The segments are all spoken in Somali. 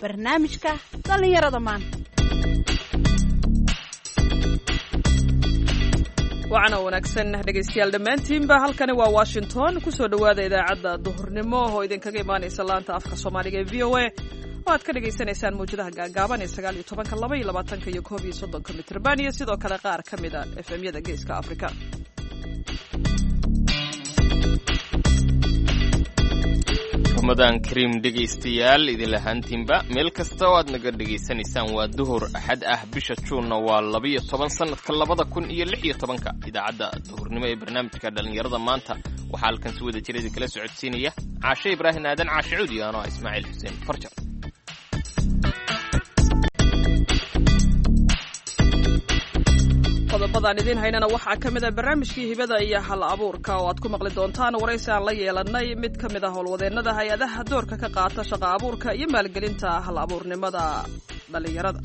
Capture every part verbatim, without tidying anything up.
Barnaamijka dhallinyarada maanta. Wacana wanaagsan dhegaystayaal dhammaantiinba, halkani waa Washington. Kusoo dhowaada idaacadda duhurnimo oo idinkaga imaanaysa laanta afka Soomaaliga ee V O A, oo aad ka dhagaysanaysaan mawjadaha gaagaaban ee sagaal iyo tobanka, laba iyo labaatanka iyo koob iyo soddonka mitrban, iyo sidoo kale qaar ka mid a F M-yada Geeska Afrika. Ramadaan kariim dhegaystayaal idin lahaantiinba meel kasta oo aad naga dhegaysanaysaan. Waa duhur Axad ah, bisha Juunna waa labiyo toban, sanadka labada kun iyo lix iyo tobanka. Idaacadda duhurnimo ee barnaamijka dhallinyarada maanta waxaa halkan si wada jir idinkala socodsiinaya Caashe Ibraahim Aadan Caashe Cuudi, anoo ah Ismaaciil Xuseen Farjar. Qodobadaan idiin haynana waxaa ka mid ah barnaamijkii hibada iyo hal abuurka, oo aad ku maqli doontaan waraysi aan la yeelanay mid ka mid ah howlwadeennada hay-adaha doorka ka qaata shaqa abuurka iyo maalgelinta hal abuurnimada dhallinyarada.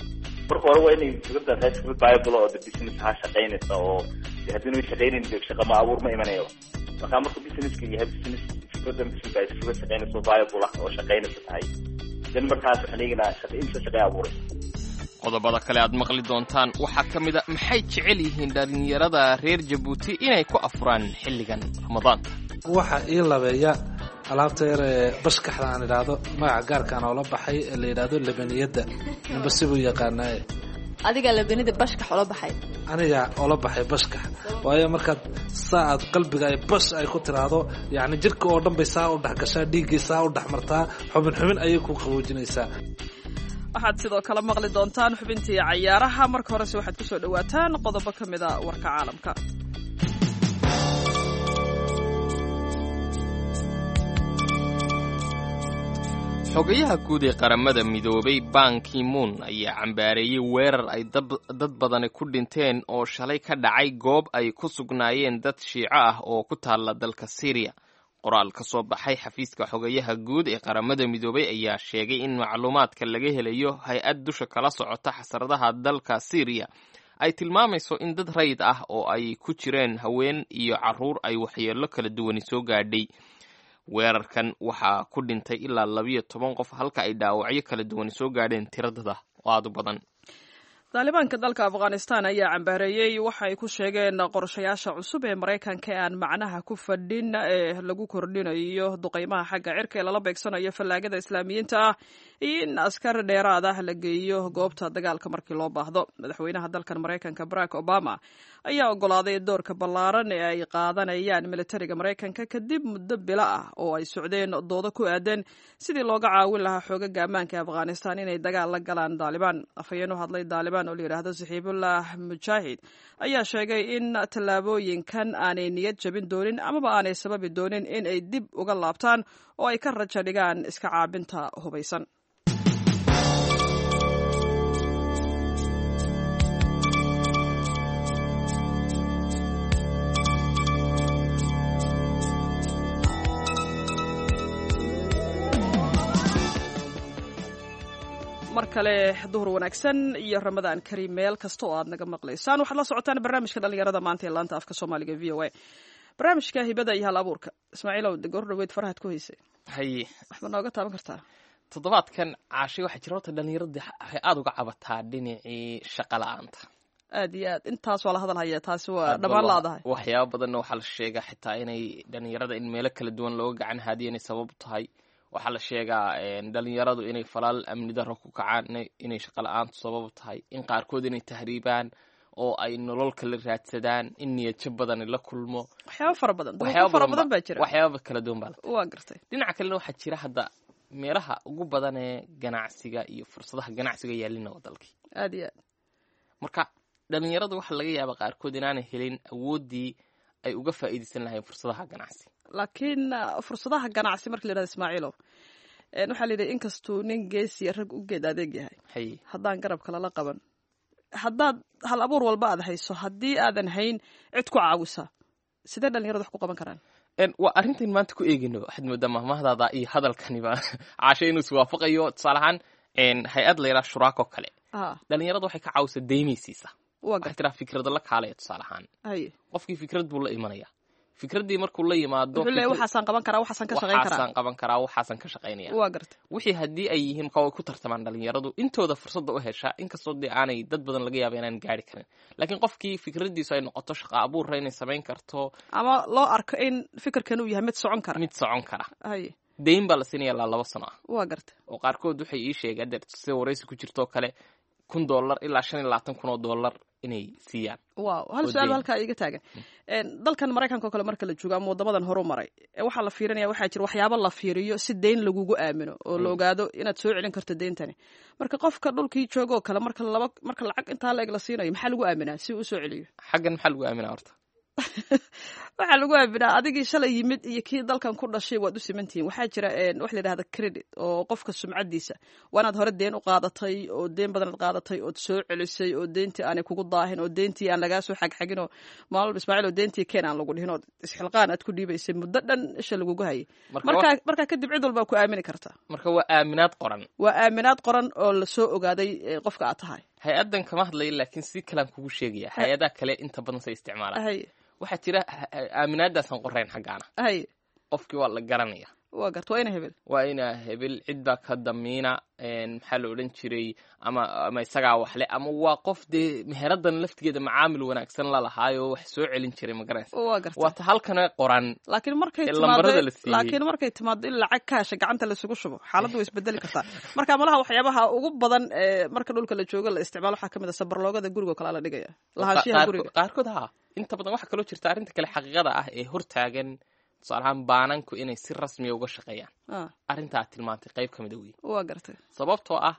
Marka hore waa inay fikradda tahay fikrad viable oo de business ha shaqaynaysa, oo de haddii way shaqaynayn de shaqa ma abuur ma imanayo. Marka marka businesska yahay business, fikradda business ay fikrad shaqaynaysa, viable ah oo shaqaynaysa tahay, then markaas waxaan eegnaa shaqa inta shaqay abuuraysa. Qodobada kale aad maqli doontaan waxaa ka mid a: maxay jecel yihiin dhallinyarada reer Jabuuti inay ku afuraan xilligan Ramadaanka? Waxaa ii labeeya alaabta yar ee bashkaxda aan idhaahdo, magaca gaarkaan oola baxay ee la yidhaahdo labaniyadda, ninba sibuu yaqaanaaye. Adigaa labanida bashkax oola baxay? Anigaa oola baxay bashkax, waayo markaad saa aad qalbiga ay bash ay ku tiraahdo, yacni jirka oo dhan bay saa u dhex gashaa, dhiiggii saa u dhex martaa, xubin xubin ayay ku qaboojinaysaa. Waxaad sidoo kale maqli doontaan xubintii cayaaraha. Marka horese waxaad ku soo dhowaataan qodobo ka mid a warka caalamka. Xogayaha guud ee Qaramada Midoobay Ban Ki-moon ayaa cambaareeyey weerar ay dad badani ku dhinteen oo shalay ka dhacay goob ay ku sugnaayeen dad Shiico ah oo ku taalla dalka Syriya. Qoraal ka soo baxay xafiiska xogayaha guud ee Qaramada Midoobay ayaa sheegay in macluumaadka laga helayo hay-ad dusha kala socota xasaradaha dalka Syriya ay tilmaamayso in dad rayid ah oo ay ku jireen haween iyo carruur ay waxyeello kala duwani soo gaadhay. Weerarkan waxaa ku dhintay ilaa labiyo toban qof, halka ay dhaawacyo kala duwani soo gaadheen tiradada oo aada u badan. Taalibaanka dalka Afghanistan ayaa cambaareeyey waxa ay ku sheegeen qorshayaasha cusub ee Maraykanka ee aan macnaha ku fadhin ee lagu kordhinayo duqeymaha xagga cirka ee lala beegsanayo fallaagada Islaamiyiinta ah, iyo in askar dheeraad ah la geeyo goobta dagaalka markii loo baahdo. Madaxweynaha dalkan Maraykanka Barack Obama ayaa ogolaaday doorka ballaaran ee ay qaadanayaan militariga Maraykanka, kadib muddo bilo ah oo ay socdeen doodo ku aadan sidii looga caawin lahaa xoogaga ammaanka ee Afghanistan inay dagaal la galaan Daalibaan. Afhayeen u hadlay Daalibaan oo la yidhaahdo Saxiibullah Mujaahid ayaa sheegay in tallaabooyinkan aanay niyad jabin doonin amaba aanay sababi doonin in ay dib uga laabtaan oo ay ka raja dhigaan iska caabinta hubaysan. Mar kale duhur wanaagsan iyo Ramadaan kariim meel kasta oo aad naga maqlaysaan. Waxaad la socotaan barnaamijka dhallinyarada maanta ee laanta afka Soomaaliga V O A, barnaamijka hibada iyo hal abuurka. Ismaaciilow, de goor dhaweyd farahaad ku haysay. Haye. Waxba nooga taaban kartaa? Toddobaadkan, Caashay, waxaa jira horta dhallinyarada waxay aada uga cabataa dhinacii shaqa la-aanta. Aad iyo aad, intaas waa la hadal haya, taasi waa dhammaan laadahay. Waxyaaba badanna waxaa la sheegaa xitaa inay dhallinyarada in meelo kala duwan looga gacan haadiyo inay sabab tahay. Waxaa la sheegaa dhalinyaradu inay falaal amni darro ku kacaan, inay shaqa la-aantu sabab tahay, in qaarkood inay tahriibaan oo ay nolol kala raadsadaan, in niyadjab badani la kulmo. Waxyaaba fara badan, duruufo fara badan baa jira. Waxyaaba kala duwan baa la. Waa gartay. Dhinaca kalena waxaa jira hadda meelaha ugu badan ee ganacsiga iyo fursadaha ganacsiga yaalina waa dalkii. Aad iyo aad. Marka dhalinyaradu waxaa laga yaabaa qaarkood inaanay helin awooddii ay uga faa'iidaysan lahayn fursadaha ganacsi. Laakiin fursadaha ganacsi marka la yidhahdo, Ismaaciilow, waxaa la yidhi inkastuu nin geesiya rag u geed adeeg yahay, haye, haddaan garabka lala qaban, haddaad hal abuur walba aad hayso, haddii aadan hayn cid ku caawisa, sidee dhalinyaradu wax ku qaban karaan? Waa arrintan maanta ku eegayno. Waxaad moodaa mahmahdaada iyo hadalkaniba, Caashe, inuu iswaafaqayo. Tusaale ahaan hay-ad la yidhaha Shuraako kale dhalinyarada waxay ka caawisaa deymaysiisa. Waa waxay tiraa fikrado la kaalaya. Tusaale ahaan haye, qofkii fikrad buu la imanaya. Fikraddii markuu la yimaado, wuxuu leeyahay waxaasaan qaban karaa, waxaasaan ka shaqayn karaa, waxaasaan qaban karaa, waxaasaan ka shaqaynaya. Waa garta. Wixii haddii ay yihiin, marka way ku tartamaan dhalinyaradu intooda fursadda u hesha, inkastoo dee aanay dad badan laga yaaba inaan gaari karin, laakiin qofkii fikraddiisu ay noqoto shaqa abuurra inay samayn karto, ama loo arko in fikirkan uu yahay mid socon kara, mid socon kara, haye, deyn baa la siinaya ilaa laba sano ah. Waa garta. Oo qaarkood waxay ii sheegeen adeer sida waraysi ku jirtoo kale kun dollar ilaa shan iyo labaatan kun oo dollar inay siiyaan. Wow, hal oo su-aal deyn. Halkaa iiga taagan. Dalkan Maraykanka oo kale marka la joogo ama waddamadan horu maray, waxaa la fiirinaya, waxaa jira waxyaabo la fiiriyo si deyn lagugu aamino oo la ogaado inaad soo celin karto deyntani. Marka qofka dhulkii jooga oo kale, marka laba marka lacag intaa la eg la siinayo, maxaa lagu aaminaa si uu usoo celiyo? Xaggan maxaa lagu aaminaa horta? Waxaa lagu aaminaa adigii shalay yimid iyo kii dalkan ku dhashay waad u simantihiin. Waxaa jira wax la yidhahda credit oo qofka sumcadiisa waa inaad hore deen u qaadatay oo deen badan aad qaadatay ood soo celisay oo deyntii aanay kugu daahin oo deyntii aan lagaa soo xagxagin oo maalin walba "Ismaaciil oo deyntii keen" aan lagu dhihin oo isxilqaan aad ku dhiibaysay muddo dhan isha lagugu hayay. Marka markaa markaa kadib cid walbaa ku aamini karta. Marka waa aaminaad qoran. Waa aaminaad qoran oo lasoo ogaaday eh, qofka aad tahay. Hay-addan kama hadlayo, laakiin si kalaan kugu sheegaya hay-adaha kale inta badan say isticmaalaan. Hay. Waxaa jira aaminaadaasaan qorayn xaggaana. Hay. Qofkii waa la garanaya. Waa garta, waa ina hebel. Waa inaa hebel, cid baa ka damiina, maxaa la odhan jiray, ama ama isagaa waxle, ama waa qof dee meheradan laftigeeda macaamil wanaagsan la lahaayo wax soo celin jiray, ma garanaysa? Waa garta. Waa ta halkana qoran laakiin markay ee timaado lambarada la siiyey. Laakiin markay timaado in lacag kaasha gacanta laisugu shubo, xaaladdu way isbedeli kartaa. Marka malaha waxyaabaha ugu badan ee marka dhulka la joogo la isticmaalo waxaa kamid a sabarloogada guriga oo kale la dhigaya, lahaanshiyaha Qaarkood- guriga. Qaarkood ha. Inta badan waxaa kaloo jirta arrinta kale xaqiiqada ah ee hortaagan, tusaale ahaan baananku inay si rasmiya uga shaqeeyaan. Ah, arrintaa tilmaantay qayb ka mid a wey. Waa gartay. Sababtoo ah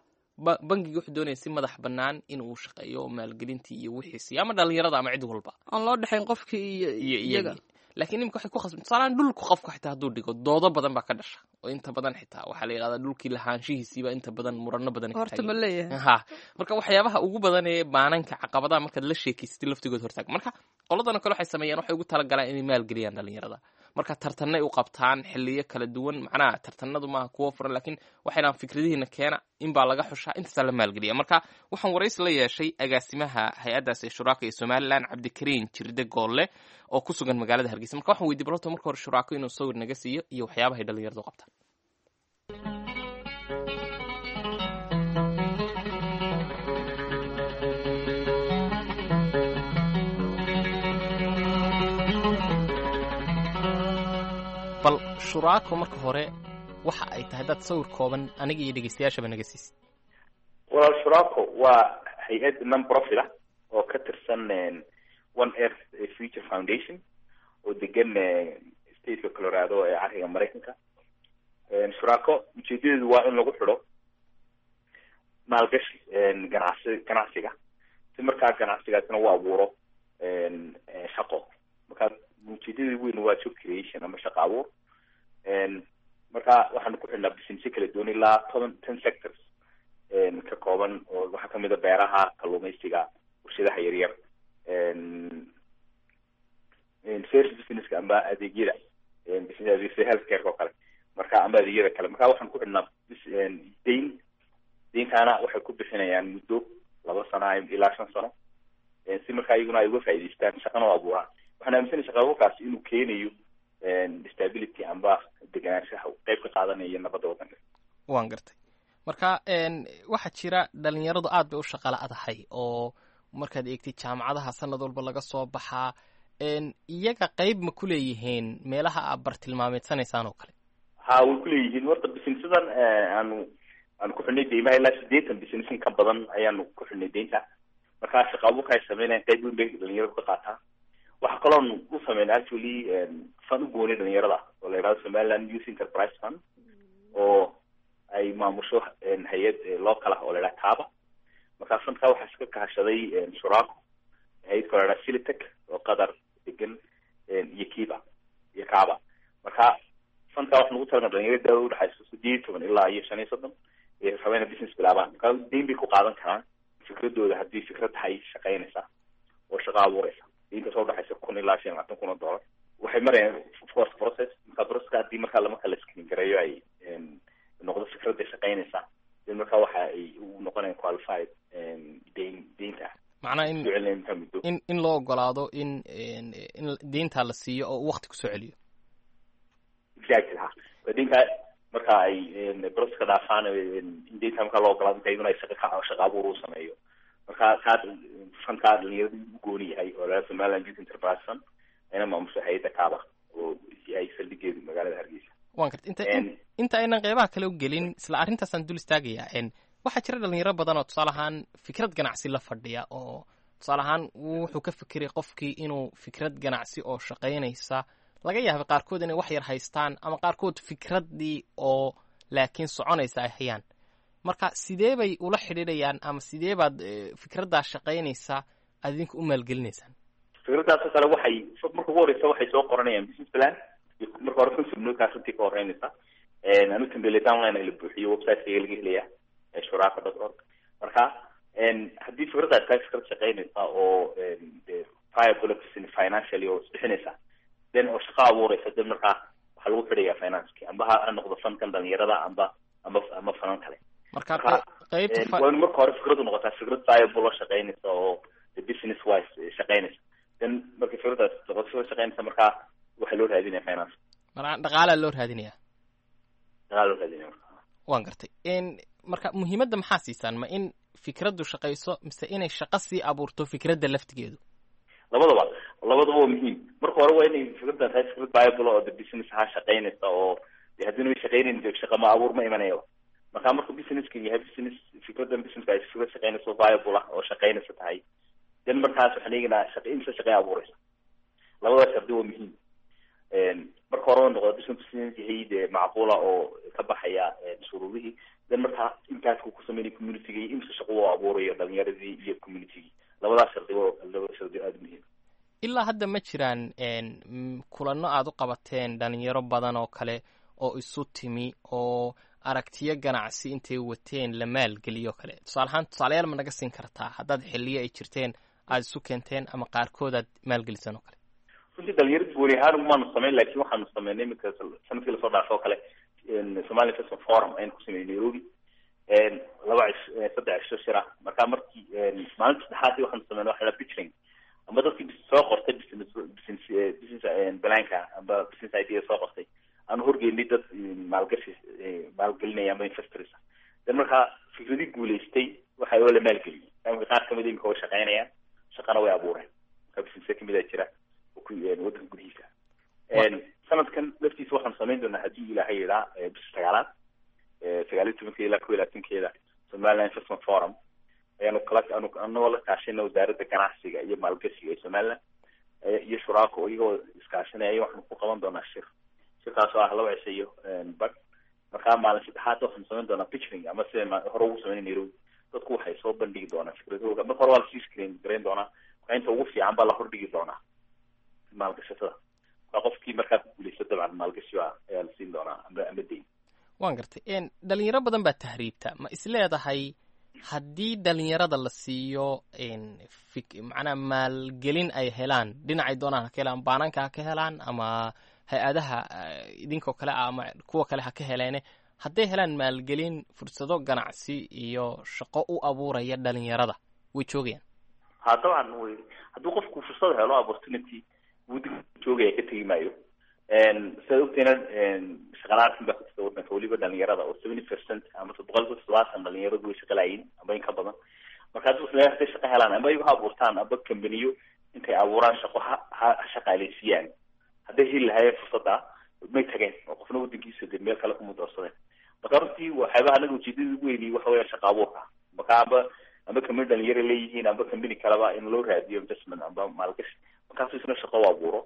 ba- bangiga wuxuu doonaya si madax bannaan inuu shaqeeyo oo maalgelintii iyo wixiisi ama dhalinyarada ama cid walba aan loo dhexayn qofkii iyo iyo iyaga. Iyagii laakiin imika waxay ku khasban, tusaalehaan dhulku qofku xitaa hadduu dhigo doodo badan baa ka dhasha oo inta badan xitaa waxaa la yidhahdaa dhulkii lahaanshihiisiiba inta badan murano badan ka horta taagan ma leeyahay. Ha, marka waxyaabaha ugu badan ee baananka caqabadaha markaad la sheekeysatay laftigood hortaag. Marka qoladan oo kale waxay sameeyaan, waxay ugu talagalaan inay maalgeliyaan dhalinyarada. Marka tartanay u qabtaan xiliyo kala duwan. Macnaha tartanadu maaha kuwo furan, laakiin waxay dhahaan fikradihiina keena, in baa laga xushaa, intaasaa la maalgeliya. Marka waxaan waraysi la yeeshay agaasimaha hay-addaas ee Shuraako ee Somaliland, Cabdikariin Jirde Goolle, oo ku sugan magaalada Hargeysa. Marka waxaan weydiiyey balorta marka hore Shuraako inuu sawir naga siiyo iyo waxyaabahay dhalinyaradu qabtaan. Bal Shuraako marka hore waxa ay tahay dad sawir kooban aniga iyo dhegeystayaashaba naga siisid. Walaal, Shuraako waa hay-ad non profit ah oo ka tirsan One Earth Future Foundation oo degan stateka Colorado ee cariga Maraykanka. Shuraako ujeedadeedu waa in lagu xidho maalgashi ganacsi ganacsiga si markaa ganacsigaasina u abuuro shaqo. Markaa ujeedada weyn waa job creation ama shaqo abuur. Marka waxaanu ku xidhnaa businessyo kala duwan, ilaa toban ten sectors ka kooban, oo waxaa kamid a beeraha, kalluumaysiga, warshadaha yaryar, service businesska amba adeegyada business adeegyada healthcare oo kale, marka amba adeegyada kale. Marka waxaan ku xidhnaa deyn. Deyntaana waxay ku bixinayaan muddo laba sano ilaa shan sano, si markaa iyaguna ay uga faa'iidaystaan, shaqana u abuuraan. Waxaan aaminsanay shaqa abuurkaasi inuu keenayo stability amba deganaanshaha, qayb ka qaadanaya nabadda waddanka. Waan gartay. Marka waxaa jira dhalinyaradu aad bay u shaqa la-dahay oo markaad eegtid jaamacadaha sanad walba laga soo baxaa, iyaga qayb ma ku leeyihiin meelaha aad bartilmaameedsanaysaan oo kale? Ha, way kuleeyihiin. Horta businessadan aanu aanu ku xidhnay deymaha, ilaa siddeetan business in ka badan ayaanu ku xidhnay deynta. Markaa shaqa abuurka ay sameynayaan qayb weyn bay dhalinyaradu ka qaataan. Waxaa kaloon u sameynay actually fund u goonay dhalinyarada oo la yidhahdo Somaliland Youth Enterprise Fund, oo ay maamusho hay-ad local ah oo la yidhahdo Kaaba. Markaa fundka waxaa iska kahashaday Shuraako, hay-ad kaloo la yidhahdo Silitech oo Qatar degan, iyo Kiba iyo Kaaba. Marka fundka waxaa nagu talagalay dhalinyarada da'da udhexayso sideed iyo toban ilaa iyo shan iyo soddon ee raba inay business bilaabaan. Marka deyn bay ku qaadan karaan fikradooda haddii fikrad tahay shaqaynaysa oo shaqo abuuraysa. Deynta soo udhexaysa kun ilaa shan iyo labaatan kun oo dollar waxay marayaan of course process. Marka processka haddii markaa lama kala screen gareeyo, ay noqdo fikradda shaqaynaysa, then marka waxa ay u noqonayaan qualified deyn deynta. Macnaha in soo celinaya intaa muddo in in loo ogolaado in in deyntaa la siiyo oo uu waqti kusoo celiyo. Exactly, ha, deyntaa marka ay processka dhaafaan, in deynta markaa loo ogolaado, marka iyaduna ay shaqa ka shaqa abuur uu sameeyo. Marka kaa fundkaa dhalinyarada u gooni yahay oo laga Somaliland Youth Enterprise Fund, ayna maamusho hay'adda Kaaba oo yahay saldhigeedu magaalada Hargeysa. Waan garta. Inta inta aynan qeybaha kale u gelin, isla arrintaasaan dul istaagayaa. Waxaa jira dhalinyaro badan oo tusaale ahaan fikrad ganacsi la fadhiya, oo tusaale ahaan wuxuu ka fikiray qofkii inuu fikrad ganacsi oo shaqaynaysa, laga yaabay qaarkood inay wax yar haystaan ama qaarkood fikraddii oo laakiin soconaysa ay hayaan. Marka sidee bay ula xidhiidhayaan ama sidee baad fikraddaa shaqaynaysa aad idinka u maalgelinaysaan? Fikraddaasoo kale waxay marka ugu horeysa waxay soo qoranayaan business plan. Marka hore concept note-kaas runtii ka horeynaysa. Anu template online la buuxiyo, website-kayga laga helaya, shuraako dot org. Marka haddii fikraddaas tahay fikrad shaqaynaysa oo viable financially oo isbixinaysa, then oo shaqo abuureysa, then markaa waxaa lagu xidhayaa financeki, amba ha noqdo fundkan dhalinyarada amba amba ama funan kale. Marka qeybta waa in marka hore fikradu noqotaa fikrad viable oo shaqaynaysa oo business wise shaqaynaysa. Then markay fikraddaas noqoto fikrad shaqaynaysa, markaa waxaa loo raadinaya finance. Marka dhaqaalaa loo raadinaya. Dhaqaala loo raadinaya marka. Waan gartay. Marka muhiimadda maxaa siisaan? Ma in fikraddu shaqayso mise inay shaqo sii abuurto fikradda laftigeedu? Labadaba, labadaba waa muhiim. Marka hore waa inay fikradda tahay fikrad viable oo the business ha shaqaynaysa, oo de haddii way shaqaynayn shaqa ma abuur ma imanaya. Marka markuu businesska yahay business, fikraddan businesska ay fikrad shaqaynaysa, viable ah oo shaqaynaysa tahay, then markaas waxaan eegaynaa shaqa inta shaqay abuuraysa. Labada shardi waa muhiim. Marka hore waa noqda business business yahay dee macquula oo ka baxaya shuruudihii, then markaa impactka ku sameynaya community-ga iyo inta shaqo uu abuurayo dhalinyaradii iyo community-gii. Labadaas shardi waa laba shardi aada muhiim. Ilaa hadda ma jiraan kulanno aad u qabateen dhalinyaro badan oo kale oo isu timi oo aragtiyo ganacsi intay wateen la maalgeliyo kale? Tusaale ahaan, tusaalayaal ma naga siin kartaa haddaad xilliyo ay jirteen aada isu keenteen ama qaarkood aad maalgeliseen oo kale? Runtii dhalinyarada gooni ahaan umaanu samayn, laakiin waxaanu sameynay iminka sanadkii lasoo dhaafo oo kale Somali Investment Forum aynu ku sameynay Nairobi, laba cish saddex cisho shira. Marka markii maalinta saddexaadii waxaanu sameynay waxa la pitching, amba dadkii soo qortay business business business planka amba business idea soo qortay, aanu horgeynay dad maalgashi maalgelinaya amba investors. Then markaa fikradii guulaystay waxa oo la maalgeliyey. Marka qaar kamid imika way shaqeynayaan, shaqana way abuureen. Marka business kamid a jira waddanka gudihiisa. Sanadkan laftiisa waxaanu samayn doonaa, haddii Ilaahay yidhaa, bisha sagaalaad sagaal iyo tobankeeda ilaa kow iyo labaatankeeda Somaliland Investment Forum ayaanu kala anu anagoo la kaashayna Wasaaradda Ganacsiga iyo Maalgashiga ee Somaliland iyo Shuraako, iyagoo iskaashanaya, waxaanu ku qaban doonaa shir. Shirkaas oo ah laba cisho iyo bad. Markaa maalin saddexaad waxaanu samayn doonaa pitching, ama sida hore ugu sameyn Nairobi. Dadku waxay soo bandhigi doonaa fikradooda. Marka hore waa lasii screen garayn doonaa, marka inta ugu fiican baa la hordhigi doonaa maalgashatada. Marka qofkii markaa ku guuleysta, dabcan maalgashi baa ayaa la siin doonaa amba ama deyn. Waan gartay. Dhalinyaro badan baa tahriibta. Ma isleedahay haddii dhalinyarada la siiyo fik macnaha maalgelin ay helaan, dhinacay doonaan ha ka helaan, baananka ha ka helaan ama hay-adaha idinkoo kale ah ama kuwa kale ha ka heleene, hadday helaan maalgelin fursado ganacsi iyo shaqo u abuuraya dhalinyarada, way joogayaan? Ha, dabcan way. Hadduu qofku fursad helo, opportunity, wuu joogaya, ka tegi maayo. Sidaad ogtayna shaqalaarkan baa ku jirta waddanka, weliba dhalinyarada oo seventy percent ama boqolkiiba toddobaatan dhalinyaradu way shaqalaayiin amba in ka badan. Marka haddii hadday shaqo helaan, amba iyagu ha abuurtaan amba kambaniyo intay abuuraan shaqo ha ha shaqaaleysiiyaan, hadday heli lahaayeen fursadda may tageen oo qofna waddankiisa dee meel kale kuma doorsadeen. Marka runtii waxyaabaha anaga ujeedada ugu weyni waxa weya shaqa abuurka. Marka amba amba kambani dhalinyaro leeyihiin amba kambani kaleba in loo raadiyo investment amba maalgashi, markaasu isna shaqo u abuuro.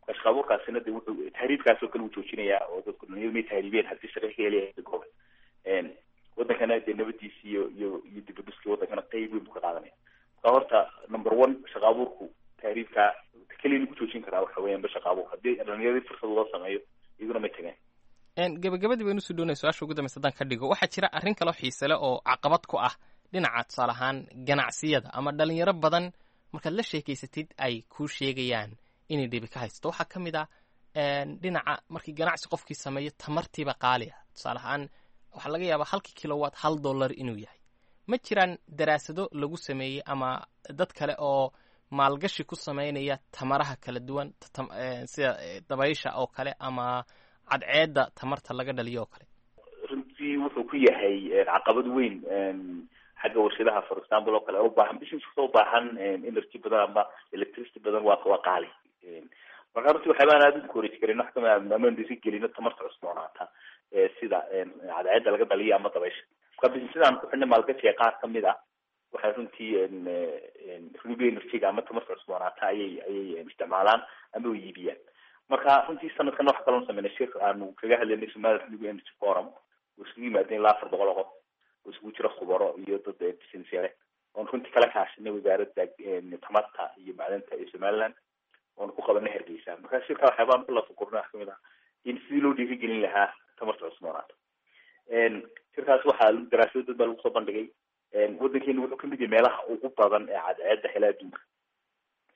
Marka shaqa abuurkaasina de wuxuu tahriibkaas oo kale uu joojinayaa, oo dadku dhalinyaro may tahriibeen haddii shaqa ka helaya goobe. Waddankana dee nabadiisi iyo iyo iyo dibadhuskii waddankana qeyb weyn buu ka qaadanaya. Marka horta number one shaqa abuurku tahriibka keliya lagu joojin karaa waxa weeyaan ba shaqa abuur. Haddii dhalinyaradii fursad loo sameeyo, iyaguna may tageen. Gabagabadii baynu usoo doonaya. Su-aasha ugu dambaysa haddaan ka dhigo, waxaa jira arrin kaloo xiise leh oo caqabad ku ah dhinaca tusaale ahaan ganacsiyada ama dhalinyaro badan markaad la sheekeysatid ay kuu sheegayaan inay dhibi ka haysato. Waxaa ka mid ah dhinaca markii ganacsi qofkii sameeyo, tamartiiba qaali ah. Tusaale ahaan waxaa laga yaabaa halkii kilowatt hal dollar inuu yahay. Ma jiraan daraasado lagu sameeyey ama dad kale oo maalgashi ku sameynaya tamaraha kala duwan, sida dabaysha oo kale ama cadceedda tamarta laga dhaliyo oo kale? Runtii wuxuu ku yahay caqabad weyn xagga warshadaha, for example oo kale, ubaahan business kasta ubaahan energy badan ama electricity badan, waa waa qaali. Marka runtii waxyaabaan aada u encourage karin wax kamid amaan dhiirigelino tamarta cusboonaata, sida cadceedda laga dhaliyo ama dabaysha. Marka businessadaan ku xidhnay maalgashiga qaar kamid ah waxay runtii renewable energy-ga ama tamarta cusboonaata ayay ayay isticmaalaan ama way iibiyaan. Marka runtii sanadkan waxa kaloon sameynay shir aanu kaga hadlaynay Somali Renewable Energy Forum, oo isugu yimaadeen ilaa afar boqol oo qof oo isugu jira khubaro iyo dad business leh, oon runtii kala kaashanay wasaaradda tamarta iyo macdanta ee Somaliland, oon ku qabanay Hargeysa. Marka shirka waxyaabaan ku lafagurnay wax kamid ah in sidii loo dhiirigelin lahaa tamarta cusboonaata. Shirkaas waxaa daraasado dad baa lagu soo bandhigay. Waddankeenu wuxuu kamid yahay meelaha ugu badan ee cadceedda hela adduunka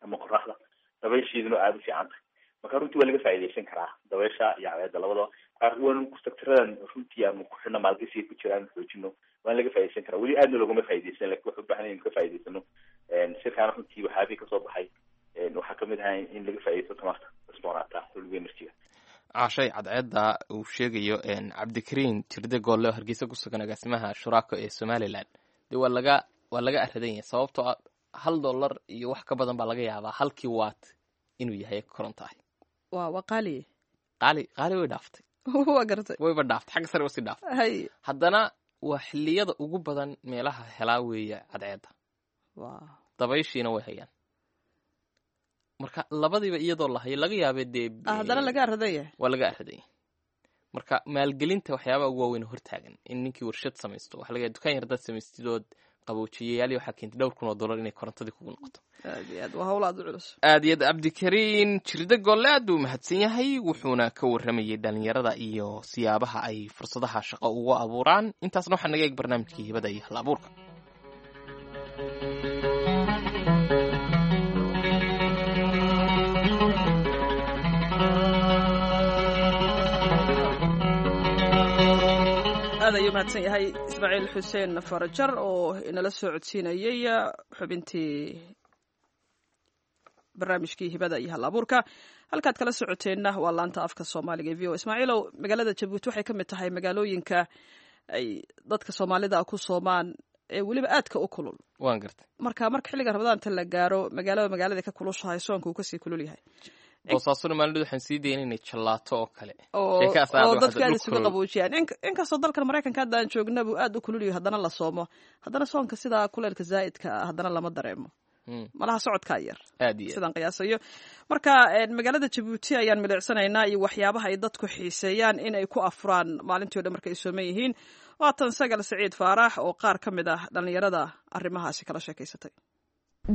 ama qoraxda, dabaysheeduna aada u fiican tahay. Marka runtii waa laga faa'iidaysan karaa dabaysha iyo cadceedda labadaba. Waan sectaradan runtii aanu ku xidhno maalgashiga ku jira aanu xoojino, waan laga faaidaysan karaa. Weli aadna loogama faaidaysan, lakin waxu ubahan inaynu ka faa'idaysano. Shirkaana runtii waxyaabihii kasoo baxay waxaa kamid ahaa in laga faaidaysto tamarta cusboonaata, renewable energy-ga. Caashay, cadceedda uu sheegayo Cabdikariin Jirde Goolle oo Hargeysa ku sugan, agaasimaha Shuraako ee Somaliland, dee waa laga waa laga aradan yahay, sababtoo ah hal dollar iyo wax ka badan baa laga yaabaa halkii watt inuu yahay koronto ah. Waa waa qaali. Qaali, qaali way dhaaftay. Waa gartay. Wayba dhaaftay, xagga sare wasii dhaaftay. Hay. Haddana waa xilliyada ugu badan meelaha helaa weeye cadceedda, waa dabayshiina way hayaan. Marka labadiiba iyadoo la hayo laga yaabee dee haddana laga aradan yahay. Waa laga aradan yahay. Marka maalgelinta waxyaabaha ugu waaweyn hortaagan in ninkii warshad samaysto, waxa laga yaaba dukaan yar hadaad samaystidood qaboojiyayaal waxaa keentay dhowr kun oo dollar inay korontadii kugu noqoto. Aad iyo aad waa hawl aad u culus. Aad iyo aad. Cabdikariin Jirde Golle aad buu mahadsan yahay, wuxuuna ka warramayay dhalinyarada iyo siyaabaha ay fursadaha shaqo ugu abuuraan. Intaasna waxaa naga eeg barnaamijkii hibada iyo hal abuurka. Aad ayuu mahadsan yahay Ismaaciil Xuseen Farajar oo inala soo codsiinayay xubintii barnaamijkii hibada iyo hal abuurka. Halkaad kala socoteenna waa laanta afka Soomaaliga ee V O. Ismaaciilow, magaalada Jabuuti waxay ka mid tahay magaalooyinka ay dadka Soomaalida ku soomaan ee weliba aadka u kulul. Waan gartay. Marka marka xilliga Ramadaanta la gaaro, magaalada magaalada ka kulushahay, soonka uu kasii kulul yahay. Boosaasona maalin waxaan sii dayn inay jallaato oo kale oo oo dadka aad isugu qaboojiyaan. Inkastoo dalkan Maraykanka hadda aan joogna buu aad u kulul yahay, haddana la soomo, haddana soonka sidaa kuleelka zaa'idka ah haddana lama dareemo, malaha socodkaa yar aad iyo sidaan qiyaasayo. Marka magaalada Jabuuti ayaan milicsanaynaa iyo waxyaabaha ay dadku xiiseeyaan in ay ku afuraan maalintii o dhan marka ay sooman yihiin. Waatan Sagal Saciid Faarax oo qaar ka mid ah dhallinyarada arrimahaasi kala sheekaysatay.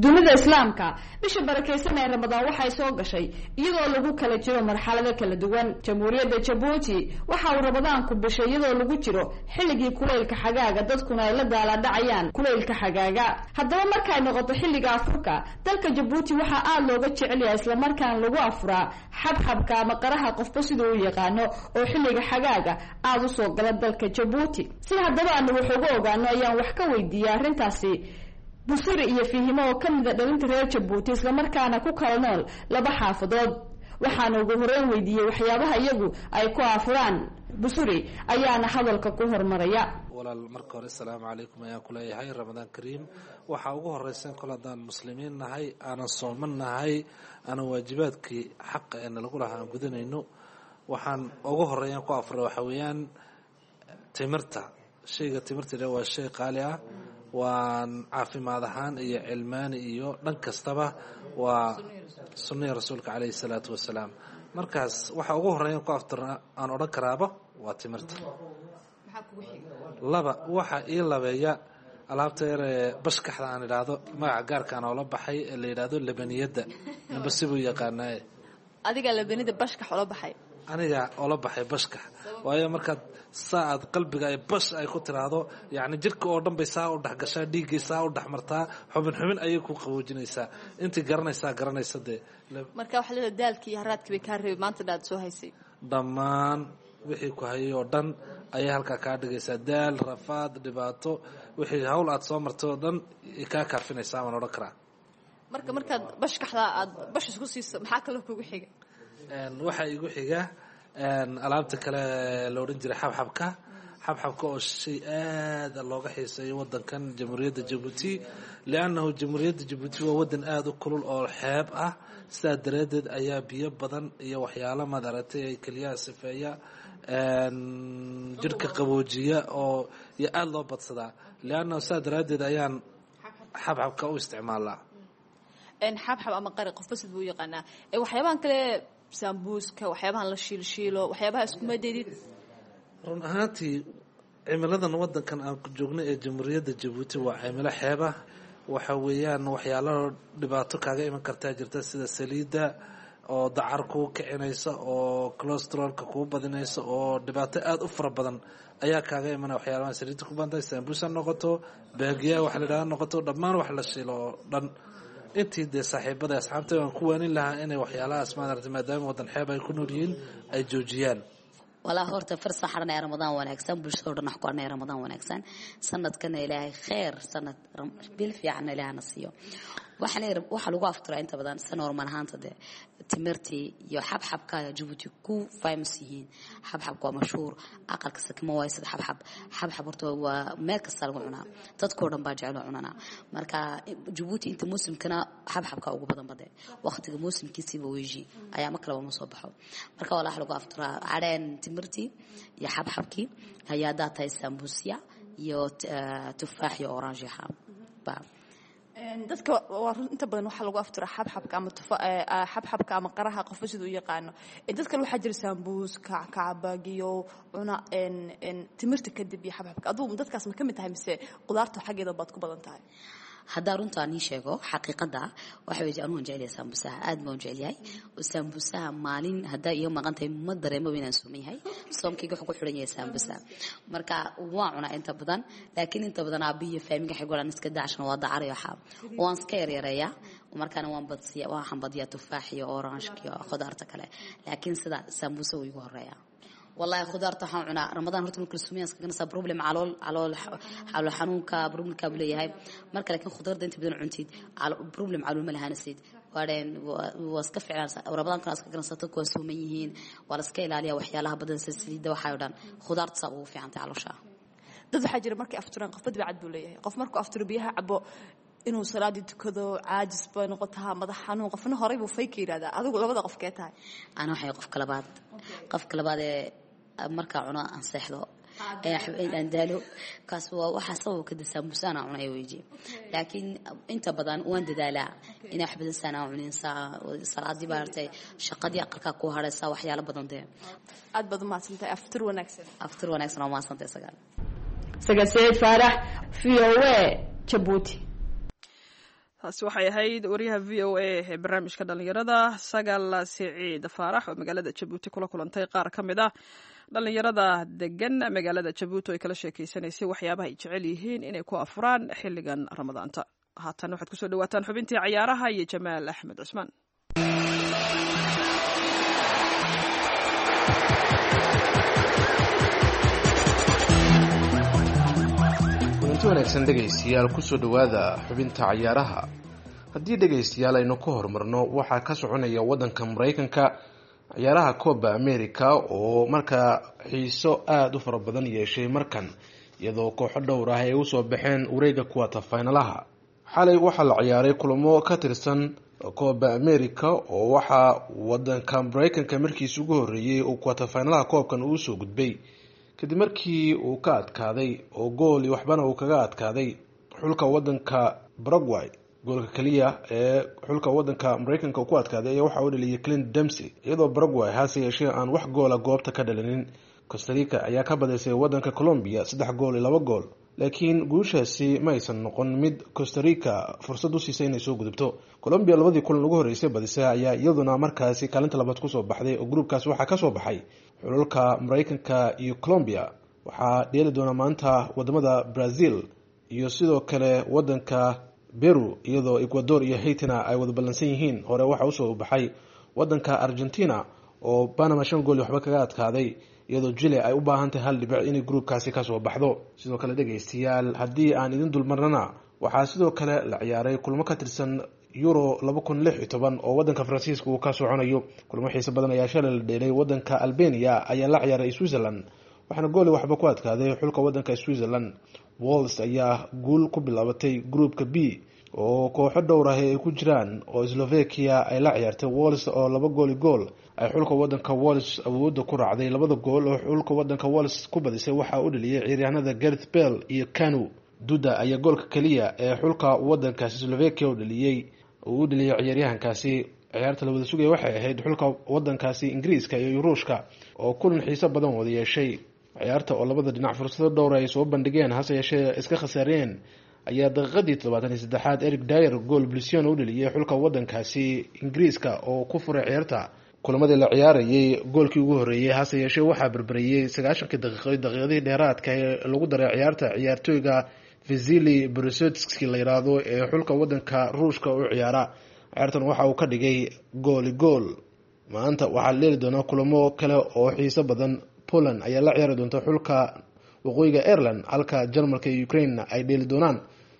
Dunida Islaamka bisha barakaysan ee Ramadaan waxay soo gashay iyadoo lagu kala jiro marxalado kala duwan. Jamhuuriyadda Jabuuti waxa uu Ramadaanku bishay iyadoo lagu jiro xilligii kulaylka xagaaga, dadkuna ay la daaladhacayaan kulaylka xagaaga. Haddaba markay noqoto xilliga afurka dalka Jabuuti waxaa aada looga jecel yahay islamarkaana lagu afuraa xabxabka ama qaraha, qofba siduu u yaqaano, oo xilliga xagaaga aada usoo gala dalka Jabuuti. Si haddaba aanu wax uga ogaano ayaan wax ka weydiiyey arrintaasi Busuri iyo Fihimo oo ka mid a dhalinta reer Jabuuti, islamarkaana ku kala nool laba xaafadood. Waxaana ugu horeyn weydiiyey waxyaabaha iyagu ay ku afuraan. Busuri ayaana hadalka ku hormaraya. Walaal, marka hore asalaamu calaykum ayaan kuleeyahay, Ramadaan kariim. Waxaa ugu horeysan kol haddaan muslimiin nahay, aanan sooman nahay, aanan waajibaadkii xaqa ee nalagu lahaa aan gudanayno, waxaan ugu horeeyaan ku afuray waxa weeyaan timirta. Shayga timirta waa shay qaali ah, waan caafimaad ahaan iyo cilmaani iyo dhan kastaba waa sunnihii rasuulka caleyhi salaatu wasalaam. Markaas waxa ugu horeeyan ku aftirna aan odhan karaaba waa timirta. Laba, waxa ii labeeya alaabta yaree bashkaxda aan idhaahdo, magaca gaarkaan oola baxay ee la yidhaahdo labaniyadda, namba sibuu yaqaanaaye. Adigaa labanida bashkax ola baxay? Aniga oola baxay bashkax, waayo markaad saa aad qalbiga ay bash ay ku tiraahdo, yacni jirka oo dhan bay saa u dhex gashaa, dhiiggay saa u dhex martaa, xubin xubin ayay ku qaboojinaysaa. Intii garanaysaa garanaysa dee. Marka waxaa leedahay daalkii iyo haraadkii bay kaa reebay maanta dhaad soo haysay. Dhammaan wixii ku hayay oo dhan Ayay halkaa kaa dhigaysaa daal, rafaad, dhibaato, wixii hawl aad soo martay oo dhan kaa kaafinaysaa waan odhan karaa. Marka markaad bashkaxda aad bash isku siiso, maxaa kaloo kugu xiga? Waxaa igu xiga alaabta kale la odhan jiray xabxabka. Xabxabka oo shay aada looga xiiseeyo wadankan Jamhuuriyadda Jabuuti, liannahu Jamhuuriyadda Jabuuti waa wadan aada u kulul oo xeeb ah. Sidaa daraadeed ayaa biyo badan iyo waxyaalo madaragtay ay keliyaha sifeeya, jirhka qaboojiya oo iyo aada loo badsadaa, liannahu sidaa daraaddeed ayaan xabxabka u isticmaalaa. Xabxab ama qari, qofba sid buu u yaqaanaa. Waxyaabahan kale, sambuuska, waxyaabahan la shiilshiilo, waxyaabaha iskuma daydid? Run ahaantii cimiladan wadankan aan ku joogno ee Jamhuuriyadda Jabuuti waa cimilo xeeba. Waxa weeyaan waxyaalo dhibaato kaaga iman kartaa jirta, sida saliidda oo dacar kuu kicinaysa oo cholesterolka kuu badinaysa, oo dhibaato aada u fara badan ayaa kaaga imanaya waxyaalaha saliidda ku badantahay. Sambuusa noqoto, baagiyaha wax la idhahda noqoto, dhammaan wax la shiilo oo dhan, intii dee saaxiibada asxaabta waan ku waanin lahaa inay waxyaalahaas maaragtay, maadaama wadan xeeb ay ku nool yihiin, ay joojiyaan. Walaa horta farsa xaranaya. Ramadaan wanaagsan bulshada o dhan, wax ku xaranaya Ramadaan wanaagsan. Sanadkana Ilaahay kheer, sanad bil fiicanna Ilaahna siiyo. Waxaana waxaa lagu afturaa inta badan sa normal ahaanta dee timirtii iyo xabxabka. Jabuuti ku famous yihiin xabxabka, waa mashhuur. Aqal kasta kama waayo sida xabxab. Xabxab horta waa meel kasta lagu cunaa, dadkoo dhan baa jecel oo cunanaa. Marka Jabuuti inta muusimkana xabxabka ugu badan bade, waqtiga muusimkiisiiba weji ayaa ma kalaba ma soo baxo. Marka walaa lagu afturaa cadheen timirtii iyo xabxabkii, ayaa haddaa tahay sambuusya iyo tufaax iyo orange ba. Dadka waa run, inta badan waxaa lagu afturaa xabxabka ama tufa xabxabka ama qaraha, qofba siduu u yaqaano. Dad kale waxaa jira sambuus, kacbagiyo cuna timirta kadib iyo xabxabka. Adugu dadkaas ma ka mid tahay mise qudaarta xaggeeda baad ku badan tahay? Haddaa runta nii sheego xaqiiqada, waxa wey anugu waan jecelyahay sambusaha, aad baan u jecelyahay sambusaha. Maalin haddaa iga maqan tahay ma dareemaba inaan sooman yahay. Soomkayga wuxuu ku xiran yahay sambusa. Marka waan cunaa inta badan, laakiin inta badan aabiyo faamiga waxay golaan iska daashana, waa dacaray, waxaa waan iska yaryareeyaa. Markaana waan badsiya, waxaan badiyaa tufaax iyo orange iyo khudaarta kale, laakiin sida sambusa wuu igu horeeyaa. Wallahi khudaarta waxaan cunaa Ramadaan horta marka la sumeeyo iska ganaysaa problem calool calool calool xanuunka problemka buu leeyahay marka. Laakiin khudaarta inta badan cuntid problem calool ma lahaanasid, waadheen waa iska ficlaan. Ramadaankana iska ganaysaa, dadku waa sooman yihiin, waa la iska ilaaliyaa waxyaalaha badan sida saliidda waxaa oo dhan. Khudaarta saa ugu fiicantay caloosha. Dad waxaa jira markay afturaan, qofba dibcad buu leeyahay. Qof markuu afturo biyaha cabo inuu salaadii tukado caajis bay noqotaa, madax xanuun. Qofna horey buu fay ka yidhahdaa. Adigu labada qof kee tahay? Ana waxay qofka labaad, qofka labaad ee markaa cuno aan seexdo aan daalo. Kaas waa waxaa sababka de sambusa aan cunay weji, laakiin inta badan waan dadaalaa inaa wax badan saan aan cunin. Salaadii baartay, shaqadii aqalkaa ku haraysa, waxyaalo badan dee. Aad baad umahadsantahay, aftur wanaagsan. Aftur wanaagsan, waa mahadsantahay Sagaal. Sagaal Saciid Faarax, V O A, Jabuuti. Taasi waxay ahayd wariyaha V O A ee barnaamijka dhalinyarada Sagal Siciid Faarax oo magaalada Jabuuti kula kulantay qaar ka mid ah dhalinyarada degan magaalada Jabuuti oo ay kala sheekeysanaysay waxyaabaha ay jecel yihiin inay ku afuraan xilligan Ramadaanta. Haatan waxaad kusoo dhawaataan xubintii cayaaraha iyo Jamaal Axmed Cusmaan. Kulanti wanaagsan dhegaystayaal, kusoo dhowaada xubinta cayaaraha. Haddii dhegaystayaal aynu ka horumarno, waxaa ka soconaya waddanka Maraykanka ciyaaraha Coba America oo markaa xiiso aada u fara badan yeeshay markan, iyadoo kooxo dhowr ah ay usoo baxeen wareega kuwata faynalaha. Xalay waxaa la ciyaaray kulamo ka tirsan Coba America oo waxaa wadanka Maraykanka markiisi ugu horeeyey uu kuwata faynalaha koobkan uu usoo gudbay kadib markii uu ka adkaaday oo gool iyo waxbana uu kaga adkaaday xulka wadanka Paraguay. Goolka keliya ee xulka wadanka Maraykanka uu ku adkaaday ayaa waxaa u dhaliyay Clint Dempsey, iyadoo Paraguay hase yeeshee aan wax goola goobta ka dhalinin. Costa Rica ayaa ka badisay wadanka Colombia saddex gool iyo laba gool, laakiin guushaasi ma aysan noqon mid Costa Rica fursad u siisay inay soo gudubto. Colombia labadii kulan ugu horreysay badisay ayaa iyaduna markaasi kaalinta labaad kusoo baxday, oo gruubkaas waxaa kasoo baxay xulalka Maraykanka iyo Colombia. Waxaa dheeli doona maanta wadamada Brazil iyo sidoo kale wadanka Peru, iyadoo Ecuador iyo Haitina ay wada ballansan yihiin. Hore waxaa usoo baxay wadanka Argentina oo Panama shan gool iyo waxba kaga adkaaday, iyadoo Chile ay u baahan tahay hal dhibic inay gruubkaasi kasoo baxdo. Sidoo kale dhegeystayaal, haddii aan idin dulmarnana, waxaa sidoo kale la ciyaaray kulmo ka tirsan Euro laba kun lix iyo toban oo wadanka Faransiiska uu ka soconayo. Kulmo xiiso badan ayaa shalay la dheelay. Wadanka Albania ayaa la ciyaaray Switzerland, waxaana gooli waxba ku adkaaday xulka wadanka Switzerland. Wals ayaa guul ku bilaabatay gruupka B oo kooxo dhowr ah ay ku jiraan oo Slovakia ay la ciyaartay Wals, oo laba gooli gool ay xulka wadanka Wals awoodda ku raacday. Labada gool oo xulka wadanka Wals ku badisay waxaa u dhaliyay ciyaaryahanada Gareth Bale iyo Kanu. Duda ayaa goolka keliya ee xulka wadankaasi Slovakia u dhaliyey uu u dhaliyay ciyaaryahankaasi. Ciyaarta la wada sugaya waxay ahayd xulka wadankaasi Ingiriiska iyo Ruushka oo kulan xiiso badan wada yeeshay. Ciyaarta oo labada dhinac fursado dhowr ay soo bandhigeen, hase yeeshee iska khasaareen, ayaa daqiiqadii toddobaatan iyo saddexaad Eric Dyer gool blision u dhaliyay xulka wadankaasi Ingiriiska oo ku furay ciyaarta kulamadii la ciyaarayay goolkii ugu horreeyey. Hase yeeshee waxaa berberiyey sagaashankii daqiiqo daqiiqadihii dheeraadka ee lagu daray ciyaarta ciyaartooyga Vasily Borosotski la yiraahdo ee xulka wadanka Ruushka u ciyaara. Ciyaartan waxa uu ka dhigay gooli gool. Maanta waxaa la dheeli doonaa kulamo kale oo xiiso badan. Poland ayaa la ciyaari doonta xulka waqooyiga Ireland, halka Jarmalka iyo Ukraine ay dheeli doonaan.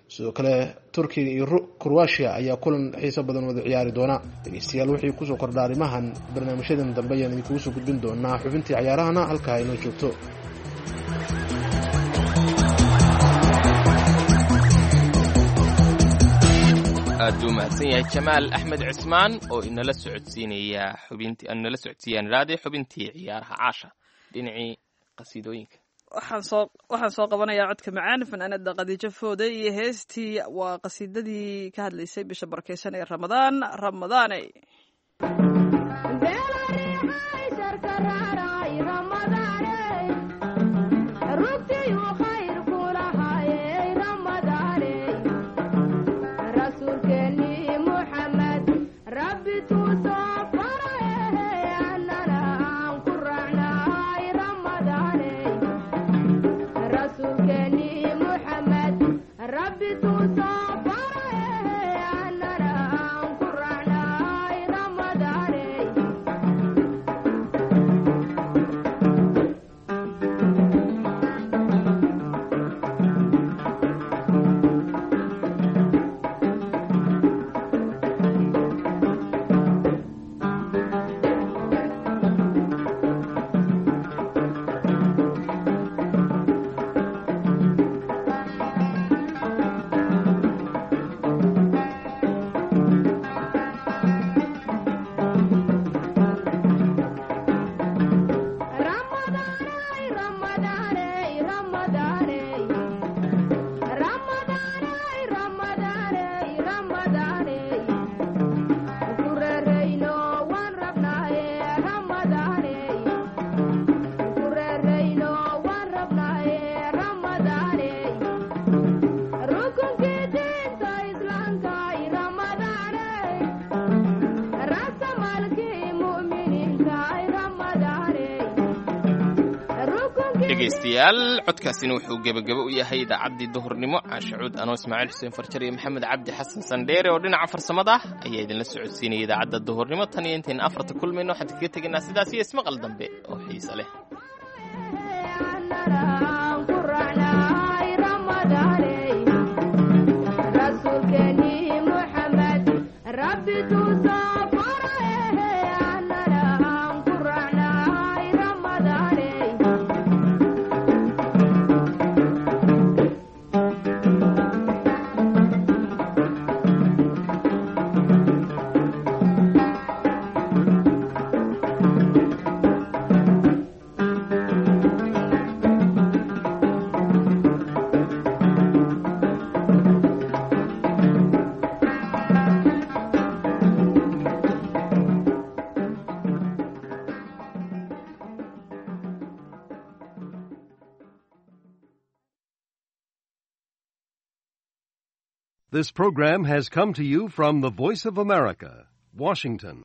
Sidoo kale Turkiga iyo Croatia ayaa kulan xiiso badan wada ciyaari doona. Dhegeystayaal, wixii kusoo kordha arrimahan barnaamijyadan dambe ayaan idinkugu soo gudbin doonaa. Xubintii cayaarahana halkaa inoo joogto. Aad buu mahadsan yahay Jamaal Axmed Cismaan oo inala socodsiinaya xubintii, inala socodsiiyaan raadi xubintii ciyaaraha. Caasha, dhinacii qasiidooyinka. Waxaan soo waxaan soo qabanayaa codka macaan fanaanada Khadiijo Foode iyo heestii, waa qasiidadii ka hadlaysay bisha barakeysan ee Ramadaan, Ramadaane. Dhegeystayaal, codkaasina wuxuu gebagabo u yahay idaacaddii duhurnimo. Caashacuud, anoo Ismaaciil Xuseen Farjar iyo Maxamed Cabdi Xasan Sandheere oo dhinaca farsamada ah ayaa idinla socodsiinaya idaacadda duhurnimo. Tan iyo intaynu afarta kulmayno, waxaan kaga tegaynaa sidaas iyo ismaqal dambe oo xiise leh. This program has come to you from the Voice of America, Washington.